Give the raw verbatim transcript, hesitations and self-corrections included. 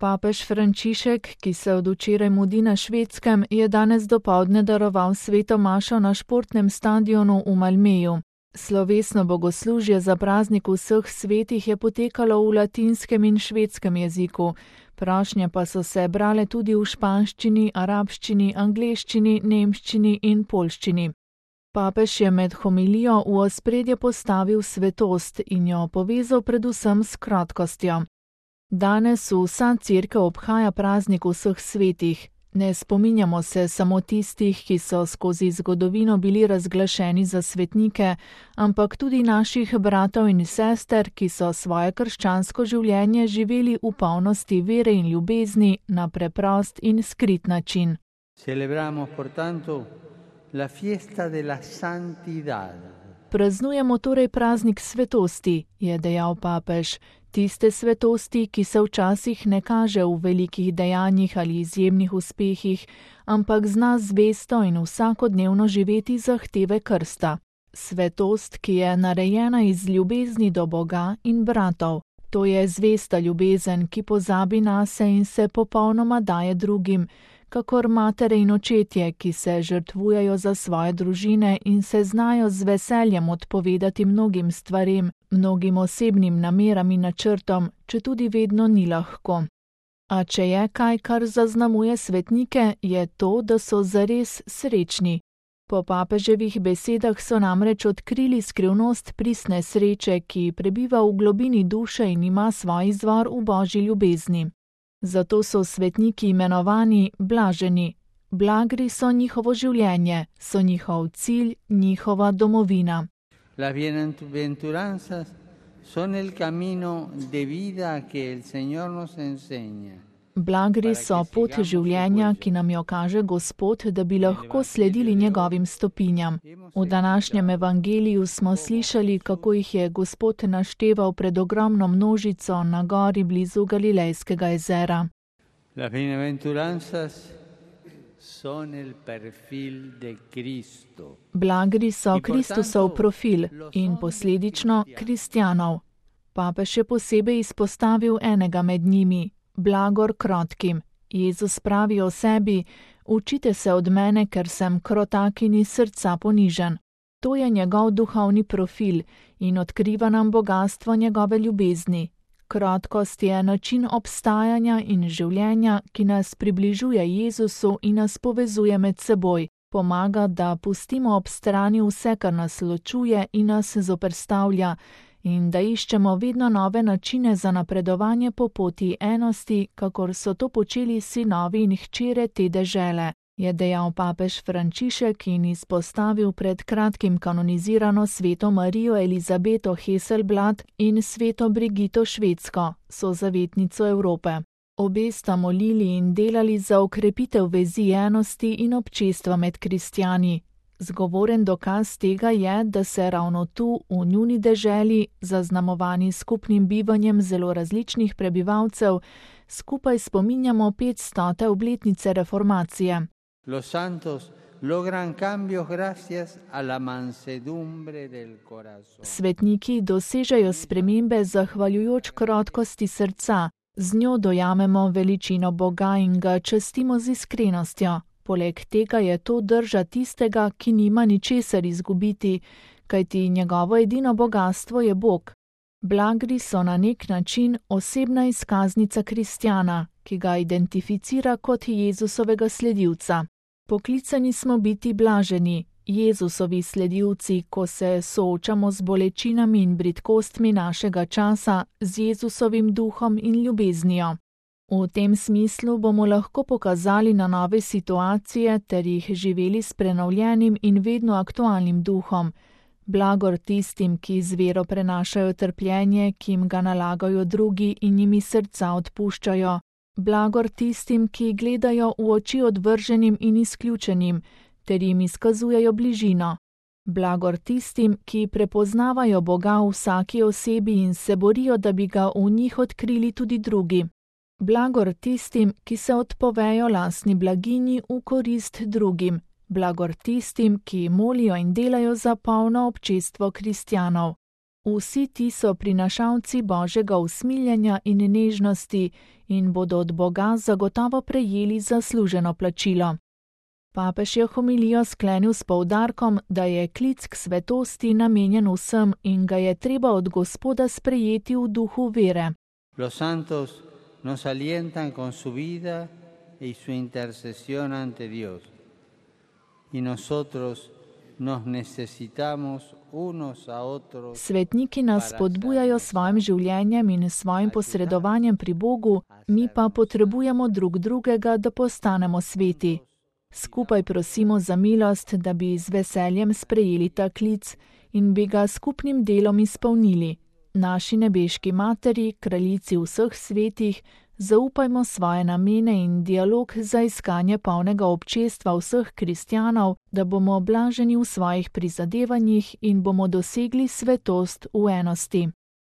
Papež Frančišek, ki se od včeraj mudi na Švedskem, je danes dopoldne daroval sveto mašo na športnem stadionu v Malmeju. Slovesno bogoslužje za praznik vseh svetih je potekalo v latinskem in švedskem jeziku. Prošnje pa so se brale tudi v španščini, arabščini, angleščini, nemščini in poljščini. Papež je med homilijo v ospredje postavil svetost in jo povezal predvsem s krotkostjo. Danes vsa cerkev obhaja praznik vseh svetih. Ne spominjamo se samo tistih, ki so skozi zgodovino bili razglašeni za svetnike, ampak tudi naših bratov in sester, ki so svoje krščansko življenje živeli v polnosti vere in ljubezni na preprost in skrit način. Celebramos portanto la fiesta de la santidad. Praznujemo torej praznik svetosti, je dejal papež. Tiste svetosti, ki se včasih ne kaže v velikih dejanjih ali izjemnih uspehih, ampak zna zvesto in vsakodnevno živeti zahteve krsta. Svetost, ki je narejena iz ljubezni do Boga in bratov. To je zvesta ljubezen, ki pozabi nase in se popolnoma daje drugim, kakor matere in očetje, ki se žrtvujejo za svoje družine in se znajo z veseljem odpovedati mnogim stvarem, mnogim osebnim nameram in načrtom, četudi vedno ni lahko. A če je kaj, kar zaznamuje svetnike, je to, da so zares srečni. Po papeževih besedah so namreč odkrili skrivnost pristne sreče, ki prebiva v globini duše in ima svoj izvor v božji ljubezni. Zato so svetniki imenovani blaženi. Blagri so njihovo življenje, so njihov cilj, njihova domovina. Las bienaventuranzas son el camino de vida que el Señor nos enseña. Blagri so pot življenja, ki nam jo kaže Gospod, da bi lahko sledili njegovim stopinjam. V današnjem evangeliju smo slišali, kako jih je Gospod našteval pred ogromno množico na gori blizu Galilejskega jezera. Las bienaventuranzas son el perfil de Cristo. Blagri so Kristusov profil in posledično kristjanov. Papež je posebej izpostavil enega med njimi. Blagor krotkim. Jezus pravi o sebi, učite se od mene, ker sem krotak in iz srca ponižen. To je njegov duhovni profil in odkriva nam bogastvo njegove ljubezni. Krotkost je način obstajanja in življenja, ki nas približuje Jezusu in nas povezuje med seboj, pomaga, da pustimo ob strani vse, kar nas ločuje in nas zoperstavlja, in da iščemo vedno nove načine za napredovanje po poti enosti, kakor so to počeli sinovi in hčere te dežele, je dejal papež Frančišek in izpostavil pred kratkim kanonizirano sveto Marijo Elizabeto Heselblad in sveto Brigito Švedsko, sozavetnico Evrope. Obe sta molili in delali za okrepitev vezi enosti in občestva med kristjani. Zgovoren dokaz tega je, da se ravno tu, v njuni deželi, zaznamovani skupnim bivanjem zelo različnih prebivalcev, skupaj spominjamo petstote obletnice reformacije. Los santos logran cambios gracias a la mansedumbre del corazón. Svetniki dosežejo spremembe zahvaljujoč krotkosti srca, z njo dojamemo veličino Boga in ga častimo z iskrenostjo. Poleg tega je to drža tistega, ki nima ničesar izgubiti, kajti njegovo edino bogastvo je Bog. Blagri so na nek način osebna izkaznica kristjana, ki ga identificira kot Jezusovega sledilca. Poklicani smo biti blaženi, Jezusovi sledilci, ko se soočamo z bolečinami in bridkostmi našega časa, z Jezusovim duhom in ljubeznijo. V tem smislu bomo lahko pokazali na nove situacije ter jih živeli s prenovljenim in vedno aktualnim duhom. Blagor tistim, ki z vero prenašajo trpljenje, ki jim ga nalagajo drugi in jimi srca odpuščajo. Blagor tistim, ki gledajo v oči odvrženim in izključenim, ter jim izkazujejo bližino. Blagor tistim, ki prepoznavajo Boga v vsaki osebi in se borijo, da bi ga v njih odkrili tudi drugi. Blagor tistim, ki se odpovejo lastni blaginji v korist drugim. Blagor tistim, ki molijo in delajo za polno občestvo kristjanov. Vsi ti so prinašalci Božjega usmiljenja in nežnosti in bodo od Boga zagotovo prejeli zasluženo plačilo. Papež je homilijo sklenil s poudarkom, da je klic k svetosti namenjen vsem in ga je treba od Gospoda sprejeti v duhu vere. Los santos nos alientan con su vida y su intercesión ante Dios. Y nosotros nos necesitamos unos a otros. Svetniki nas spodbujajo s svojim življenjem in svojim posredovanjem pri Bogu, mi pa potrebujemo drug drugega, da postanemo sveti. Skupaj prosimo za milost, da bi z veseljem sprejeli ta klic in bi ga skupnim delom izpolnili. Naši nebeški materi, kraljici vseh svetih, zaupajmo svoje namene in dialog za iskanje polnega občestva vseh kristjanov, da bomo blaženi v svojih prizadevanjih in bomo dosegli svetost v enosti.